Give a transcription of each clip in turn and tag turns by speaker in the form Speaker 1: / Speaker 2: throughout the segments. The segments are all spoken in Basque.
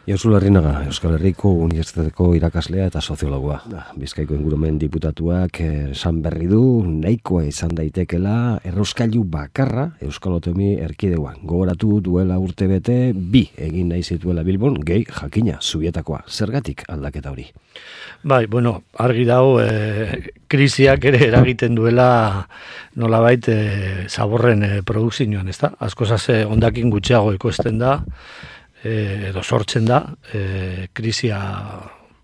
Speaker 1: Josu Larrinaga, Euskal Herriko Unibertsitateko irakaslea eta soziologoa. Bizkaiko ingurumen diputatuak esan berri du, nahikoa izan daitekela errauskailu bakarra Euskal Autonomi Erkidegoan. Gogoratu duela urtebete 2 egin nahi zituela Bilbon, gehi jakina, Zubietakoa. Zergatik aldaketa hori?
Speaker 2: Bai, bueno, argi dago, krisiak ere eragiten duela nolabait zaborren produkzioan, ezta? Askozaz hondakin gutxiago ekoizten da, edo sortzen da, krisia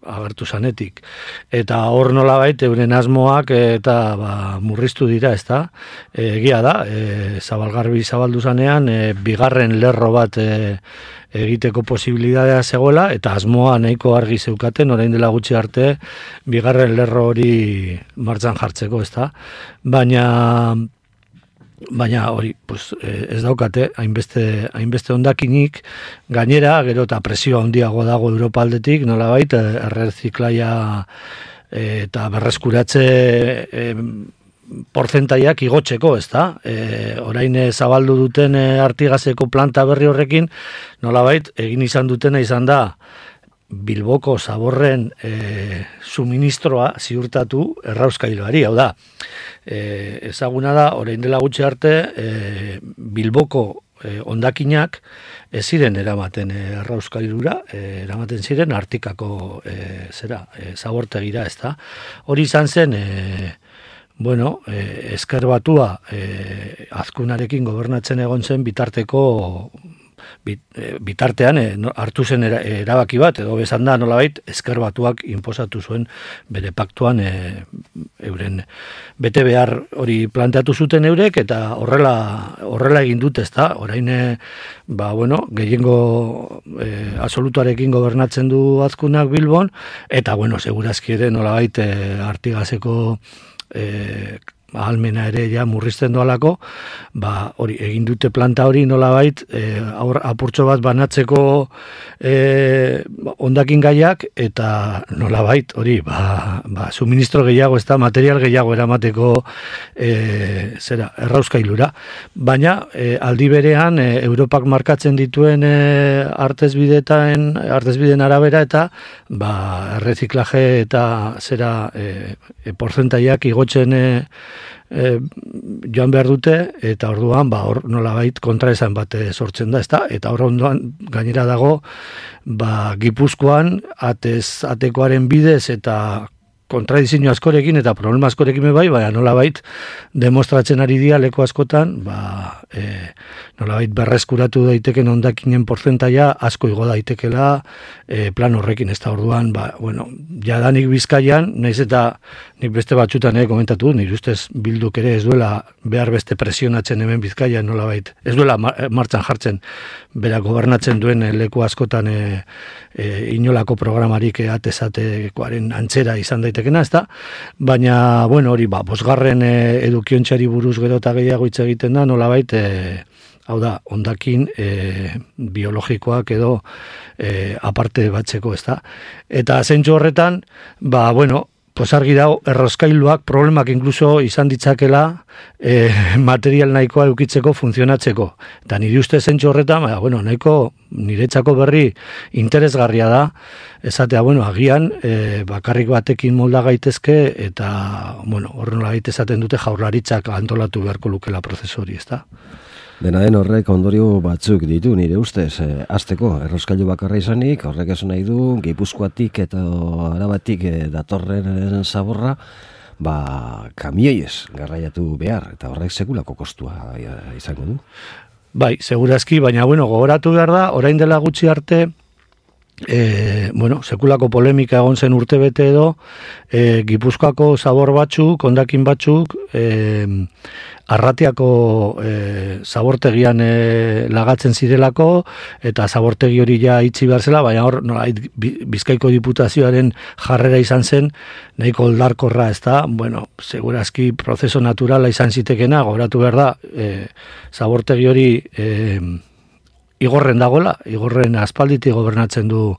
Speaker 2: agertu zanetik. Eta hor nolabait euren asmoak eta murriztu dira, ezta? Egia da, zabalgarbi zabaldu zanean, bigarren lerro bat egiteko posibilitatea zegoela, eta asmoa nahiko argi zeukaten, orain dela gutxi arte, bigarren lerro hori martxan jartzeko, ezta? Baina hori, pues, ez daukate, hainbeste hondakinik, gainera, gero eta presio handiago dago Europa aldetik, nolabait, erreziklaia eta berreskuratze portzentaiak igotzeko, ezta? Orain zabaldu duten Artigazeko planta berri horrekin, nolabait, egin izan dutena izan da, Bilboko zaborren suministroa ziurtatu errauskailuari, hau da, ezaguna da, orain dela gutxi arte, Bilboko hondakinak ez ziren eramaten errauskailura, eramaten ziren Artikako zabortegira, ezta? Hori izan zen, Ezker Batua Azkunarekin gobernatzen egon zen bitartean hartu zen erabaki bat, edo bezan da nolabait Ezker Batuak inposatu zuen bere paktuan euren bete behar hori planteatu zuten eurek, eta horrela egin dut, ezta? Orain gehiengo absolutuarekin gobernatzen du Azkunak Bilbon, eta segurazki ere nolabait Artigazeko ahalmena ere ja murrizten doalako, hori egin dute planta hori nolabait apurtxo bat banatzeko hondakin gaiak, eta nolabait hori suministro gehiago, ez da, material gehiago eramateko errauskailura. Baina aldi berean Europak markatzen dituen artezbideen arabera eta erreziklaje eta portzentaiak igotzen joan behar dute, eta orduan hor nolabait kontraesan bat sortzen da, ezta? Eta hor ondoan gainera dago Gipuzkoan atekoaren bidez eta kontradizio askorekin eta problema askorekin baina nolabait demostratzen ari dira leku askotan, nolabait berreskuratu daiteken hondakinen portzentaia asko igo daitekela plan horrekin, ez da orduan, jadanik Bizkaian, naiz eta nik beste batzutan komentatu, nire ustez Bilduk ere ez duela behar beste presionatzen hemen Bizkaian, nolabait, ez duela martxan jartzen bera gobernatzen duen leku askotan inolako programarik atezatekoaren antzera izan daitekena, ez da? Baina, hori, bosgarren edukiontxari buruz gero eta gehiago hitz egiten da, nolabait, hau da, hondakin biologikoak edo aparte batzeko, ez da? Eta zentzu horretan, argi dago, errauskailuak problemak inkluso izan ditzakela material nahikoa eukitzeko, funtzionatzeko. Eta nire uste zentzu horretan, nahiko niretzako berri interesgarria da, esatea, agian, bakarrik batekin molda gaitezke, eta, horren nolabait esaten dute Jaurlaritzak antolatu beharko lukela prozesu hori, ez da?
Speaker 1: Dena den horrek ondorio batzuk ditu, nire ustez, hasteko errauskailu bakarra izanik, horrek esan nahi du, Gipuzkoatik eta Arabatik datorren zaborra, kamioiez garraiatu behar, eta horrek sekulako kostua izango du. Bai,
Speaker 2: segurazki, baina, gogoratu behar da, orain dela gutxi arte, sekulako polemika egon zen urtebete edo, Gipuzkoako zabor batzuk, hondakin batzuk, Arratiako zabortegian lagatzen zirelako, eta zabortegi hori ja itxi behar zela, baina hor Bizkaiko Diputazioaren jarrera izan zen, nahiko oldarkorra, ez da, segurazki prozeso naturala izan zitekena, gogoratu behar da, zabortegi hori igorren dagoela, igorren aspalditik gobernatzen du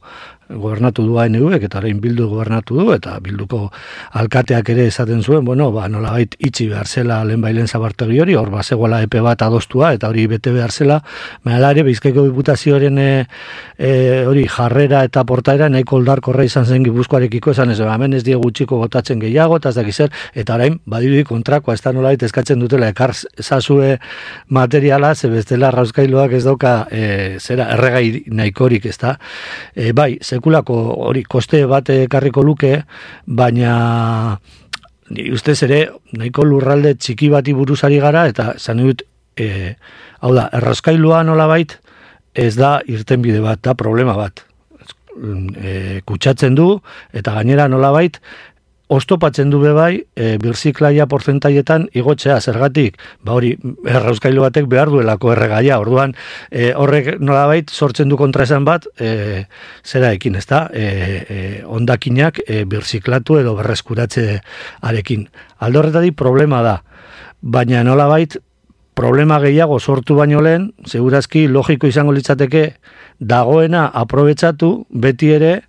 Speaker 2: gobernatu du ANV-ek eta orain Bildu gobernatu du, eta Bilduko alkateak ere esaten zuen, nolabait itxi behar zela lehenbailen zabartegi hori, hor bazegoela epe bat adostua, eta hori bete behar zela, baina ere Bizkaiko Diputazioaren hori jarrera eta portaera nahiko oldarkorra izan zen Gipuzkoarekiko, esan ez, hemen ez die gutxiko botatzen gehiago, eta ez dakizer, eta orain badirudi kontrakoa, ez da nolabait eskatzen dutela, ekar zazue materiala, ze bestela Errauskailuak ez dauka erregai nahikorik, ez da. Bai, sekulako hori koste bat ekarriko luke, baina ni ustez ere nahiko lurralde txiki bati buruzari gara, eta zan dut, hau da, Errauskailua nolabait ez da irtenbide bat, da problema bat. Kutsatzen du, eta gainera nolabait, oztopatzen du bebai, birziklaia portzentaietan igotzea, zergatik, hori, Errauskailu batek behar duelako erregaia, orduan, horrek nolabait sortzen du kontraesan bat, zera ekin, ez da, hondakinak birziklatu edo berreskuratze arekin. Alde horretatik problema da, baina nolabait, problema gehiago sortu baino lehen, segurazki logiko izango litzateke, dagoena aprobetsatu, beti ere,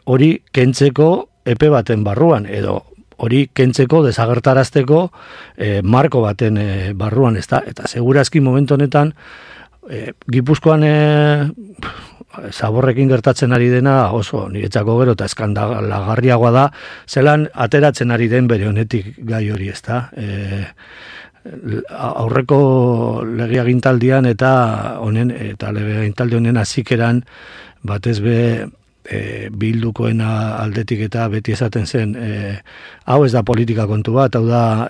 Speaker 2: hori kentzeko epe baten barruan, edo hori kentzeko, desagertarazteko marko baten barruan, ez da? Eta segurazki momentu honetan, Gipuzkoan zaborrekin gertatzen ari dena oso niretzako gero eta eskandalagarriagoa da, zelan ateratzen ari den bere honetik gai hori, ez da? Aurreko legeagintaldian eta legeagintaldi honen hasikeran batez be Bildukoen aldetik eta beti esaten zen, hau ez da politika kontu bat, hau da,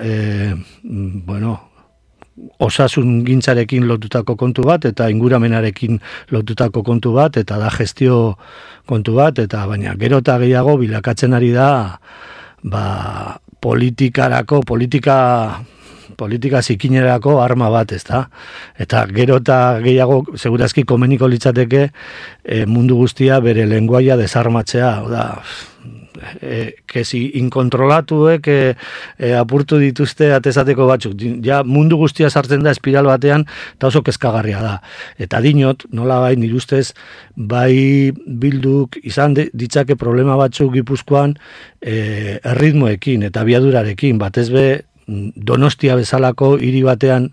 Speaker 2: osasun gintzarekin lotutako kontu bat, eta inguramenarekin lotutako kontu bat, eta da gestio kontu bat, eta baina gero eta gehiago bilakatzen ari da, politika zikinerako arma bat, ez da? Eta gero eta gehiago, segurazki komeniko litzateke, mundu guztia bere lenguaia desarmatzea, da, kezi inkontrolatuek apurtu dituzte atezateko batzuk. Ja, mundu guztia sartzen da espiral batean, eta oso kezkagarria da. Eta dinot, nola bai, nire ustez, bai Bilduk izan ditzake problema batzuk Gipuzkoan erritmoekin eta biadurarekin, batez be, Donostia bezalako hiri batean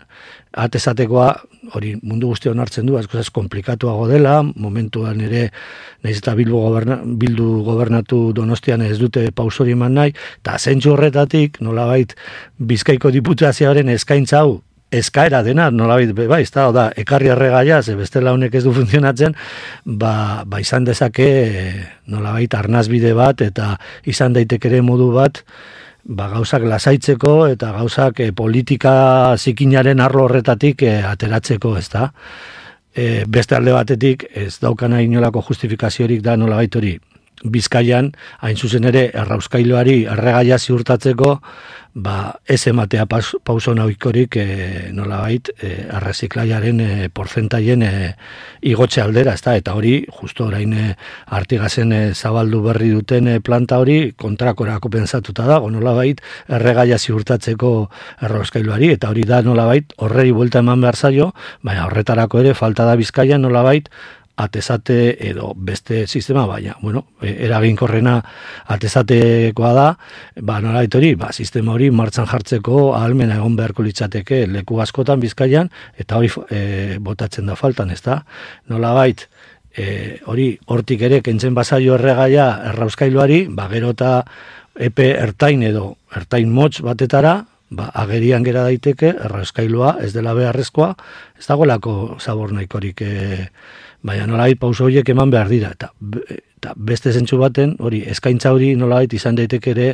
Speaker 2: atezatekoa, hori mundu guztia onartzen du, asko komplikatuago dela, momentuan ere nahiz eta Bildu gobernatu Donostian ez dute pausori eman nahi, eta zentsu horretatik, nolabait, Bizkaiko Diputazioaren eskaintza hau, eskaera dena, nolabait, bai, ez da, ekarri erregaia, ze bestela honek ez du funtzionatzen, izan dezake, nolabait, arnazbide bat, eta izan daitekere modu bat, gauzak lasaitzeko eta gauzak politika zikinaren arlo horretatik ateratzeko, ez da. Beste alde batetik ez daukana inolako justifikaziorik da nolabait hori. Bizkaian, hain zuzen ere, Errauskailuari erregaia ziurtatzeko, ez ematea pauso nahikorik nolabait erreziklaiaren portzentaien igotxe aldera, ezta? Eta hori, justo orain Artigazen zabaldu berri duten planta hori kontrakorako pentsatuta dago, nolabait erregaia ziurtatzeko Errauskailuari, eta hori da nolabait horrei buelta eman behar zaio, baina horretarako ere falta da Bizkaian nolabait atezate edo beste sistema, baina, eraginkorrena atezatekoa da, nolabait hori, sistema hori martxan jartzeko ahalmena egon beharko litzateke leku askotan Bizkaian, eta hori botatzen da faltan, ez da? Nolabait, hori hortik ere kentzen bazaio erregaia Errauskailuari, gero eta epe ertain edo ertain motz batetara, agerian gera daiteke, Errauskailua ez dela beharrezkoa, ez dagoelako zabor nahikorik baina nolabait pauso horiek eman behar dira, eta beste zentsu baten, hori, eskaintza hori nolabait izan daiteke ere,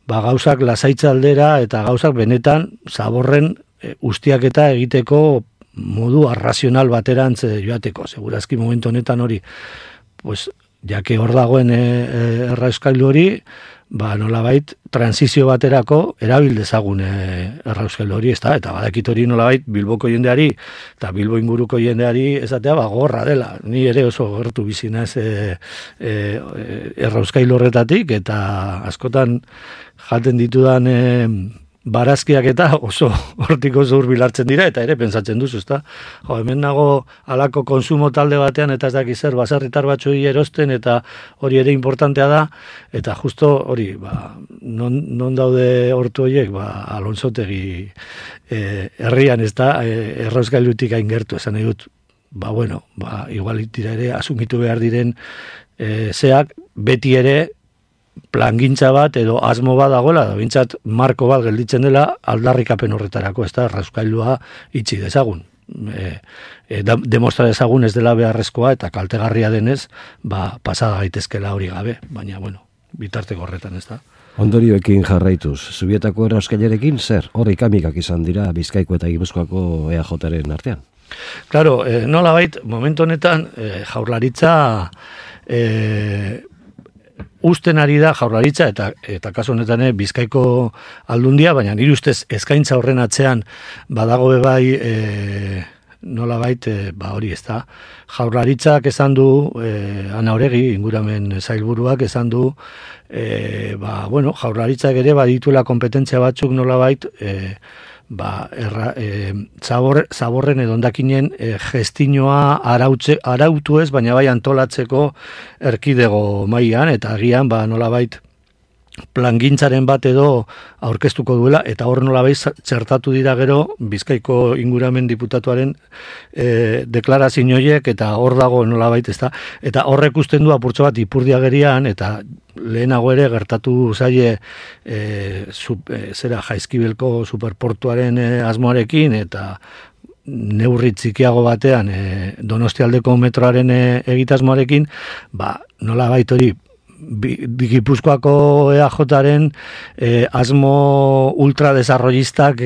Speaker 2: gauzak lasaitza aldera, eta gauzak benetan zaborren ustiaketa egiteko modu arrazional baterantz joateko, segurazki momentu honetan hori, jake hor dagoen Errauskailu hori, nolabait transizio baterako erabil dezagun Errauskailu hori, eta badakit hori nolabait Bilboko jendeari eta Bilbo inguruko jendeari esatea gorra dela. Ni ere oso gertu bizinaz Errauskailu horretatik, eta askotan jaten ditudan barazkiak eta oso hortiko hurbil hartzen dira, eta ere pentsatzen duzu, ezta? Jo, hemen nago halako konsumo talde batean, eta ez dakiz zer, baserritar batzuei erosten, eta hori ere importantea da, eta justo hori, non daude hortu horiek, Alonsotegi herrian, ezta, errauskailutik hain gertu, esan nahi dut, igual dira ere, asumitu behar diren zeak, beti ere, plangintza bat edo asmo bat dagoela, da bintzat marko bat gelditzen dela aldarrikapen horretarako, ez da, errauskailua itxi dezagun. Demostra dezagun ez dela beharrezkoa eta kaltegarria denez, pasada gaitezkela hori gabe, baina, bitarteko horretan, ez da.
Speaker 1: Ondorioekin jarraituz, Zubietako errauskailarekin zer? Horrik amikak izan dira Bizkaiko eta Gipuzkoako EAJaren artean?
Speaker 2: Claro, nolabait, momentu honetan, jaurlaritza usten ari da jaurlaritza eta kasu honetan Bizkaiko aldundia, baina nire ustez eskaintza horren atzean badago bebai nolabait hori ez da. Jaurlaritzak esan du, Ana Oregi, inguramen zailburuak esan du, jaurlaritzak ere badituela kompetentzia batzuk nolabait zaborren edo hondakinen gestinoa arautu ez, baina bai antolatzeko erkidego mailan, eta agian nolabait plangintzaren bat edo aurkeztuko duela, eta hor nolabait txertatu dira gero Bizkaiko inguramen diputatuaren deklarazio horiek, eta hor dago nolabait, ezta, eta horrek usten du apurtxo bat Ipurdiagerian, eta lehenago ere gertatu zaie Jaizkibelko superportuaren asmoarekin, eta neurri txikiago batean Donostialdeko metroaren egitasmoarekin, nolabait hori Gipuzkoako EAJaren asmo ultradesarrollistak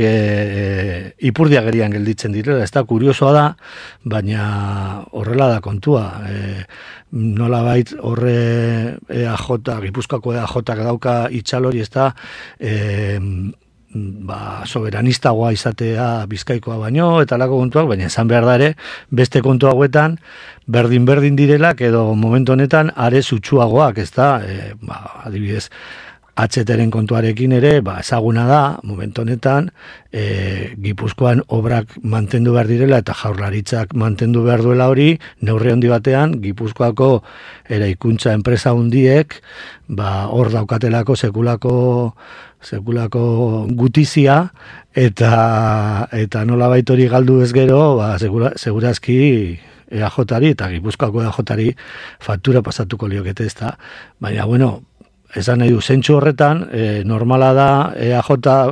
Speaker 2: Ipurdiagerian gelditzen direla. Ez da, kuriosoa da, baina horrela da kontua. Nolabait horre Gipuzkoako EAJak dauka itxalori, ez da, soberanistagoa izatea Bizkaikoa baino, eta lako kontuak, baina esan behar da ere, beste kontu hauetan, berdin direlak, edo momentu honetan, are zutsuagoak, ez da, adibidez, HTren kontuarekin ere, ezaguna da, momentu honetan, Gipuzkoan obrak mantendu behar direla, eta jaurlaritzak mantendu behar duela hori, neurri handi batean, Gipuzkoako eraikuntza enpresa hundiek, hor daukatelako sekulako gutizia, eta nolabait hori galdu ez gero, segurazki EAJari eta Gipuzkoako EAJari faktura pasatuko liokete, ez da. Baina, esan nahi du, zentsu horretan, normala da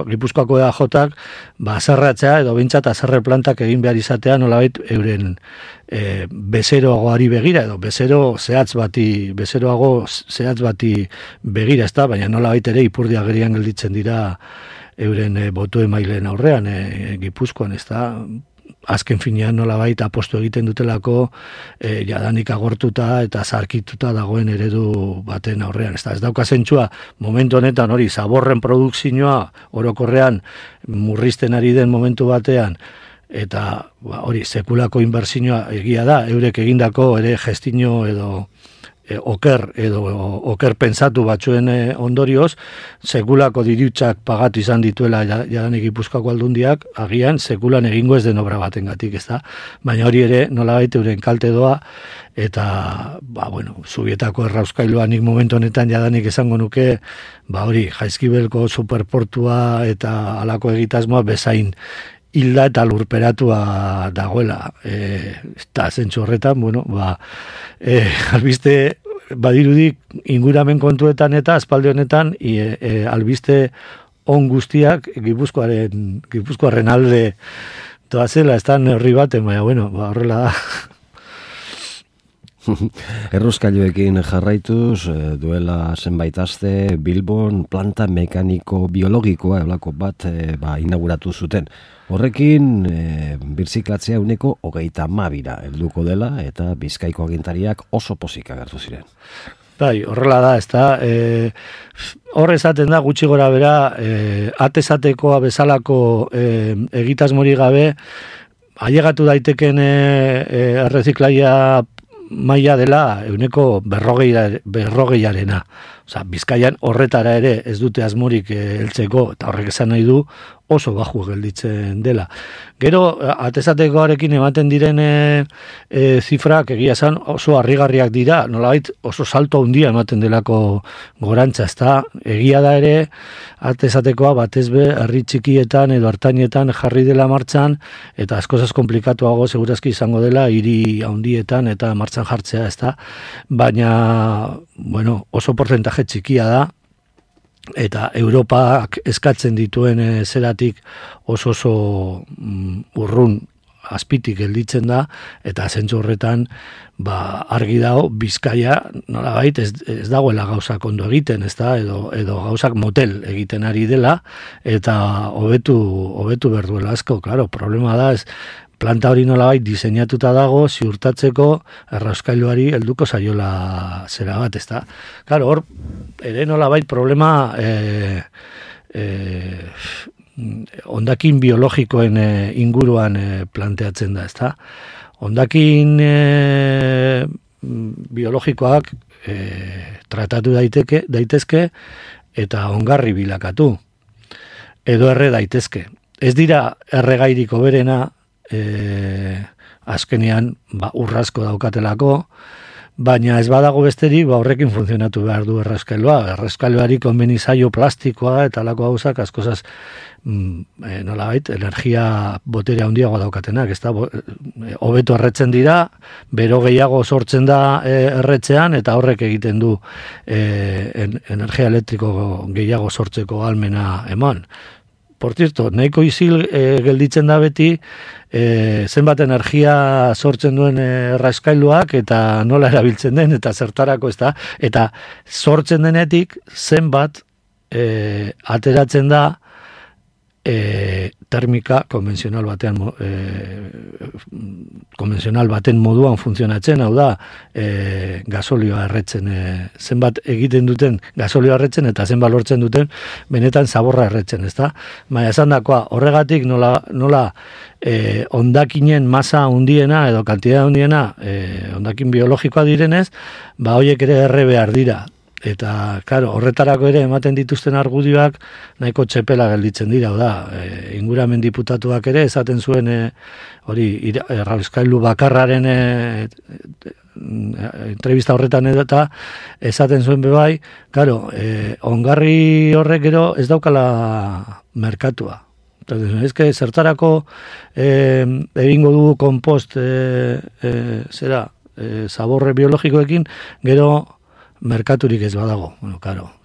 Speaker 2: Gipuzkoako EAJak azerratzea, edo bintzat azerre plantak egin behar izatea, nolabait euren bezeroagoari begira, edo bezeroago zehatz bati begira, ez da, baina nolabait ere Ipurdiagerian gelditzen dira euren botu emaileen aurrean, Gipuzkoan, ez da. Azken finean nolabait apostu egiten dutelako jadanik agortuta eta zarkituta dagoen eredu baten aurrean. Ez dauka zentzua, momentu honetan hori zaborren produkzioa orokorrean murrizten ari den momentu batean, eta hori sekulako inbertsioa egia da, eurek egindako ere gestino edo oker pentsatu batzuen ondorioz, sekulako dirutsak pagatu izan dituela jadanik Gipuzkoako aldundiak, agian sekulan egingo ez den obra batengatik, ez da? Baina hori ere nolabait euren kalte doa, eta, Zubietako errauskailua nik momentu honetan jadanik esango nuke, hori, Jaizkibelko superportua eta halako egitasmoa bezain hilda eta lurperatua dagoela. Eta zentzu horretan, albiste badirudik inguramen kontuetan eta aspaldi honetan albiste on guztiak Gipuzkoaren alde doazela, ez da neurri baten, baina, horrela da.
Speaker 1: Errauskailuekin jarraituz, duela zenbait aste Bilbon planta mekaniko biologikoa eolako bat inauguratu zuten. Horrekin birziklatzea 32 helduko dela, eta Bizkaiko agintariak oso pozik agertu ziren.
Speaker 2: Bai, horrela da, ez da. Hor esaten da gutxi gora bera, atezatekoa bezalako egitasmori gabe, ailegatu daiteken erreziklaia maila dela 40%. Bizkaian horretara ere ez dute asmorik heltzeko, eta horrek esan nahi du oso baju gelditzen dela. Gero, atezatekoarekin ematen diren zifrak egia esan oso harrigarriak dira, nolabait oso salto handia ematen delako gorantza, ezta? Egia da ere, atezatekoa batez be herri txikietan edo hartainetan jarri dela martxan, eta askozaz komplikatuago segurazki izango dela hiri handietan eta martxan jartzea, ezta? Baina, bueno, oso porcentaje txikia da, eta Europak eskatzen dituen zeratik oso urrun azpitik gelditzen da, eta zentzu horretan argi dago Bizkaia nolabait ez dagoela gauzak ondo egiten, ezta, edo gauzak motel egiten ari dela, eta hobetu behar duela asko. Claro, problema da planta hori nolabait diseinatuta dago ziurtatzeko errauskailuari helduko zaiola zera bat, ezta. Claro, hor ere nolabait problema hondakin biologikoen inguruan planteatzen da, ezta. Hondakin biologikoak tratatu daitezke eta ongarri bilakatu edo erre daitezke. Ez dira erregairik hoberena azkenean urrazko daukatelako, baina ez badago besterik horrekin funtzionatu behar du errauskailuari konbeni zaio plastikoa eta alako gauzak askozaz nolabait energia botere handiago daukatenak, ez da hobeto erretzen dira, bero gehiago sortzen da erretzean eta horrek egiten du energia elektriko gehiago sortzeko ahalmena eman. Por cierto, nahiko izil gelditzen da beti zenbat energia sortzen duen errauskailuak eta nola erabiltzen den eta zertarako, ez da, eta sortzen denetik zenbat ateratzen da termika konbentzional baten moduan funtzionatzen, hau da gasolioa erretzen, zenbat egiten duten gasolioa erretzen eta zenbat lortzen duten benetan zaborra erretzen, ezta? Baina esan dakoa, horregatik nola hondakinen masa handiena edo kantidad handiena hondakin biologikoa direnez, horiek ere erre behar dira. Eta, claro, horretarako ere ematen dituzten argudioak nahiko txepela gelditzen dira, inguramen diputatuak ere esaten zuen hori errauskailu bakarraren entrevista horretan eta esaten zuen bebai, claro, ongarri horrek gero ez daukala merkatua. Ez que zertarako egingo dugu kompost zaborre biologikoekin, gero merkaturik ez badago. Bueno, claro,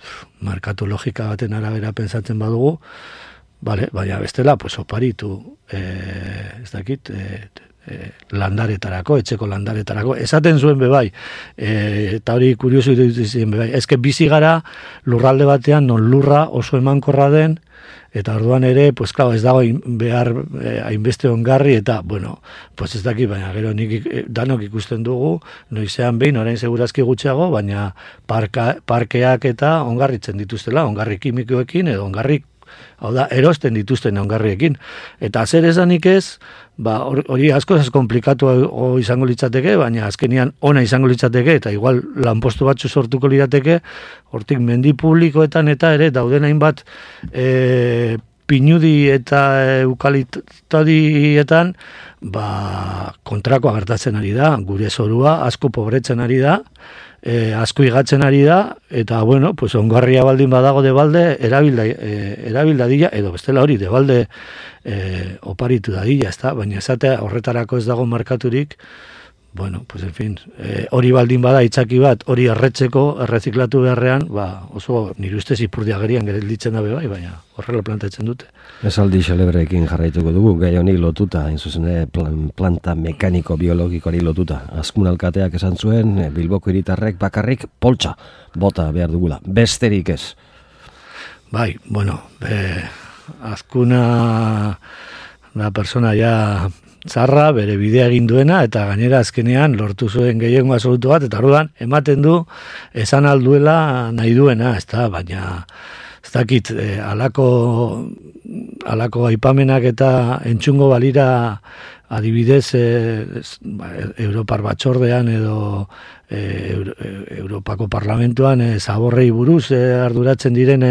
Speaker 2: merkatu logika baten arabera pentsatzen badugu, baina bestela, pues oparitu, ez dakit, landaretarako, etxeko landaretarako, esaten zuen bebai, eta hori kuriosu iruditzen bebai, ezke bizi gara lurralde batean non lurra oso emankorra den, eta orduan ere, pues claro, ez dago behar hainbeste ongarri, eta, bueno, pues ez daki, baina gero danok ikusten dugu, noizean behin, orain segurazki gutxiago, baina parkeak eta ongarritzen dituztela, ongarri kimikoekin, edo ongarri, hau da, erosten dituzten ongarriekin. Eta zer esanik ez, hori askozaz komplikatu izango litzateke, baina azkenian ona izango litzateke, eta igual lanpostu batzu sortuko lirateke, hortik mendi publikoetan eta ere dauden hainbat pinudi eta eukaliptodietan kontrakoa gertatzen ari da, gure zorua asko pobretzen ari da, asko igatzen ari da, eta, bueno, pues ongarria baldin badago debalde, erabil dadila, edo bestela hori, debalde oparitu dadila, ez da, baina esatea horretarako ez dago markaturik, bueno, pues en fin, hori baldin bada itzaki bat, hori erretzeko, erreziklatu beharrean, oso nire ustez ipurdiagerian gelditzen dabe bai, baina horrela plantatzen dute.
Speaker 1: Esaldi xelebreekin jarraituko dugu, gai honi lotuta, hain planta mekaniko-biologikoari lotuta. Azkun alkateak esan zuen, Bilboko hiritarrek bakarrik poltsa bota behar dugula, besterik ez.
Speaker 2: Bai, bueno, azkuna da persona ja txarra, bere bidea egin duena, eta gainera azkenean lortu zuen gehiengo absolutu bat, eta orduan ematen du esan alduela nahi duena, ez da, baina ez dakit, alako aipamenak eta entzungo balira adibidez Europar batzordean edo Europako parlamentuan zaborrei buruz arduratzen diren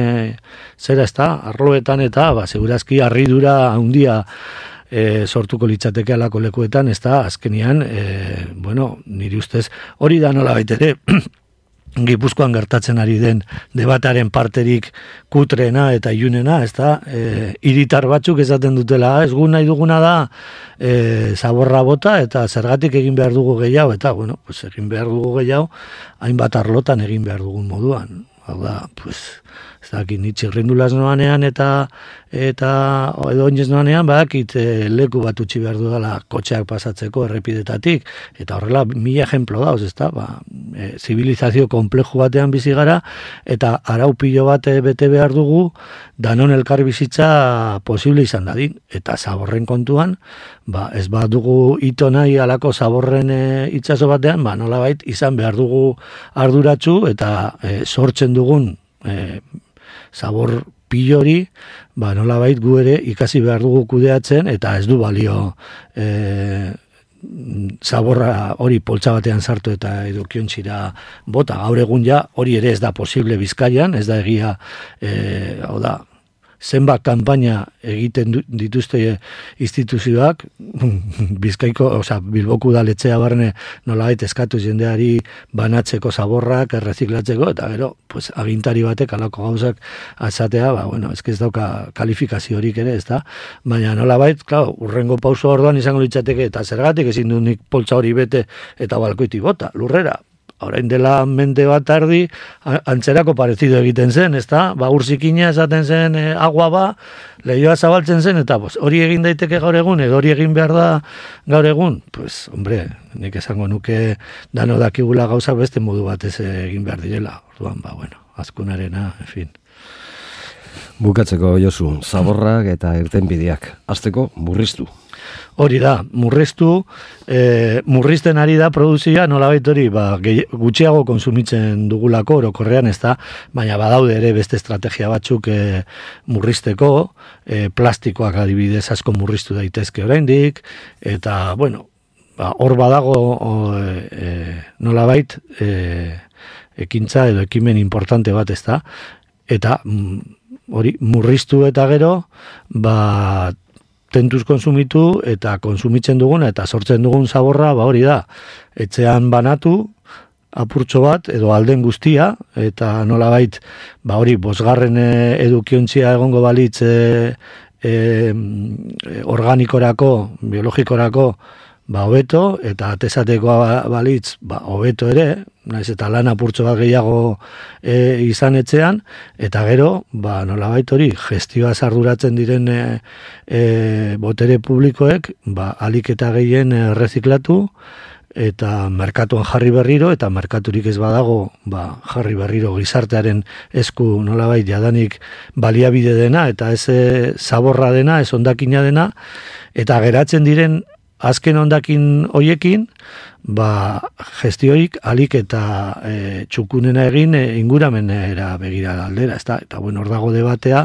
Speaker 2: zera ez da, arloetan eta segurazki harridura handia sortuko litzateke alako lekuetan, ez da, azkenian, niri ustez, hori da nola baitere, Gipuzkoan gertatzen ari den debataren parterik kutrena eta ilunena, ez da, hiritar batzuk esaten dutela, ez gu nahi duguna da zaborra bota eta zergatik egin behar dugu gehiago, eta, egin behar dugu gehiago, hainbat arlotan egin behar dugun moduan. Hau da, ez dakit, nitxirrindulaz noanean eta edo oinez noanean, badakit leku bat utzi behar dudala kotxeak pasatzeko errepidetatik, eta horrela 1000 ejemplo dauz, ez da, zibilizazio konpleju batean bizi gara, eta arau pilo bat bete behar dugu, danon elkar bizitza posible izan dadin, eta zaborren kontuan, ez bat dugu ito nahi alako zaborren itsaso batean, nolabait izan behar dugu arduratsu, eta sortzen dugun zabor pilori, nolabait gu ere ikasi behar dugu kudeatzen, eta ez du balio zaborra hori poltsa batean sartu eta edukiontzira bota. Gaur egun ja hori ere ez da posible Bizkaian, ez da egia, hau da, zenbat kanpaina egiten dituzte instituzioak, Bizkaiko, Bilboko udaletxea barne nolabait eskatu jendeari banatzeko zaborrak, erreziklatzeko, eta gero, agintari batek alako gauzak azatea, ez dauka kalifikaziorik ere, ez da, baina nolabait, urrengo pauso orduan izango litzateke, eta zergatik ezin du nik poltsa hori bete eta balkoiti bota, lurrera. Orain dela mende bat ardi, antzerako parezido egiten zen, ez da? Urzikina esaten zen agua lehioa zabaltzen zen, eta hori egin daiteke gaur egun, edo hori egin behar da gaur egun. Nik esango nuke dano dakigula gauzak beste modu batez egin behar direla. Orduan, azkunarena, en fin.
Speaker 1: Bukatzeko, Josu, zaborrak eta irtenbideak. Hasteko, murriztu.
Speaker 2: Hori da, murrizten ari da produzioa, nolabait hori, gutxiago konsumitzen dugulako orokorrean, ez da, baina badaude ere beste estrategia batzuk murrizteko, plastikoak adibidez asko murriztu daitezke oraindik, eta, hor badago nolabait ekintza edo ekimen importante bat, ez da, eta hori murriztu eta gero, tentuz konsumitu eta konsumitzen duguna eta sortzen dugun zaborra, hori da, etxean banatu, apurtxo bat, edo alden guztia, eta nolabait, hori, 5. edukiontzia egongo balitz organikorako, biologikorako, hobeto, eta atesateko balitz, hobeto ere, naiz eta lan apurtxo bat gehiago izan etxean, eta gero, nolabait hori, gestioa arduratzen diren botere publikoek, alik eta gehien erreziklatu, eta merkatuan jarri berriro, eta merkaturik ez badago, jarri berriro gizartearen esku nolabait jadanik baliabide dena, eta ez zaborra dena, ez ondakina dena, eta geratzen diren azken ondakin hoiekin, gestioik alik eta txukunena egin inguramenera begira aldera, ez da? Eta hor dago debatea,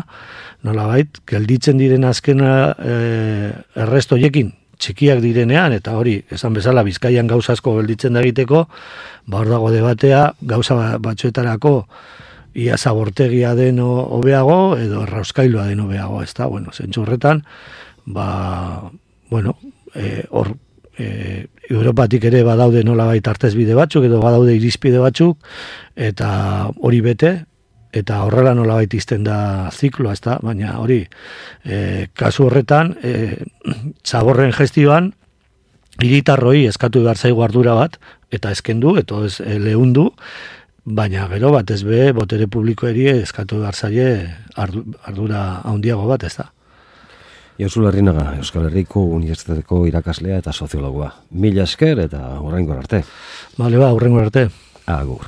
Speaker 2: nolabait, gelditzen diren azken erresto hoiekin, txikiak direnean, eta hori, esan bezala, Bizkaian gauza asko gelditzen da egiteko, hor dago debatea, gauza batzuetarako ia zabortegia den hobeago, edo errauskailua den hobeago, ez da? Zentzu horretan, hor Europatik ere badaude nolabait artezbide batzuk edo badaude irizpide batzuk eta hori bete eta horrela nolabait izten da zikloa, ezta, baina hori kasu horretan zaborren gestioan hiritarroi eskatu behar zaigu ardura bat eta eskendu eta ez lehundu, baina gero batez be botere publikoeri eskatu behar zaie ardura handiago bat, ezta.
Speaker 1: Josu Larrinaga, Euskal Herriko Unibertsitateko irakaslea eta soziologoa. Mila esker eta hurrengo arte.
Speaker 2: Hurrengo arte.
Speaker 1: Agur.